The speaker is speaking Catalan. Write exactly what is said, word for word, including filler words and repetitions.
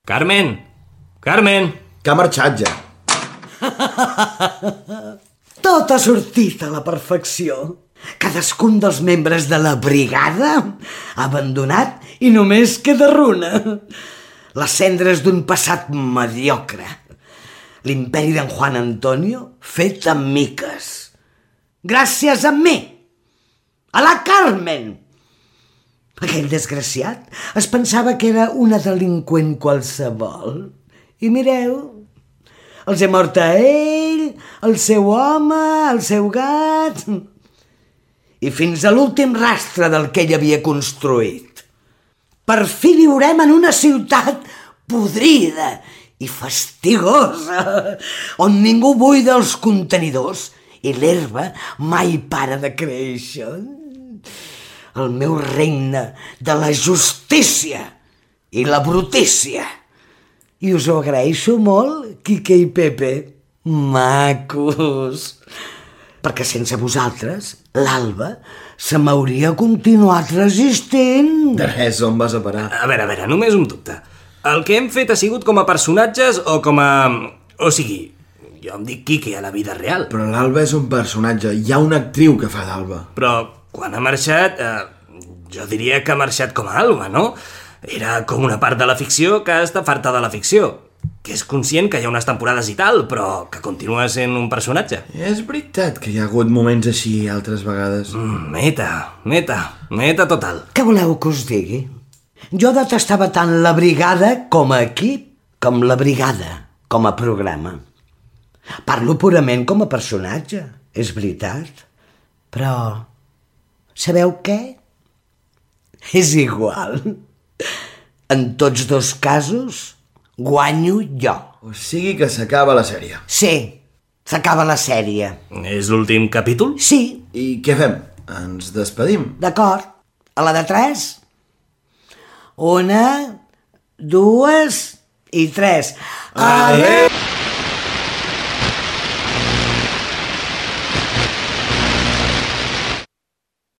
Carmen! Carmen! Que ha marxat ja. Tot ha sortit a la perfecció. Cadascun dels membres de la brigada ha abandonat i només queda runa. Les cendres d'un passat mediocre. L'imperi d'en Juan Antonio fet amb miques. Gràcies a mi. A la Carmen. Aquell desgraciat es pensava que era una delinqüent qualsevol. I mireu, els he mort a ell, el seu home, el seu gat... i fins a l'últim rastre del que ell havia construït. Per fi viurem en una ciutat podrida i fastigosa, on ningú buida els contenidors i l'herba mai para de créixer. El meu regne de la justícia i la brutícia. I us ho agraeixo molt, Quique i Pepe. Macos! Perquè sense vosaltres, l'Alba se m'hauria continuat resistint. De res, on vas a parar? A veure, a veure, només un dubte. El que hem fet ha sigut com a personatges o com a... O sigui, jo em dic Quique a la vida real. Però l'Alba és un personatge. Hi ha una actriu que fa d'Alba. Però quan ha marxat, eh, jo diria que ha marxat com a Alba, no? Era com una part de la ficció que està farta de la ficció. Que és conscient que hi ha unes temporades i tal, però que continua sent un personatge. És veritat que hi ha hagut moments així altres vegades. Mm, meta, meta, meta total. Què voleu que us digui? Jo detestava tant la brigada com a equip, com la brigada com a programa. Parlo purament com a personatge, és veritat. Però, sabeu què? És igual. En tots dos casos... guanyo jo. O sigui que s'acaba la sèrie. Sí, s'acaba la sèrie. És l'últim capítol? Sí. I què fem? Ens despedim? D'acord. A la de tres? Una, dues i tres. Adéu!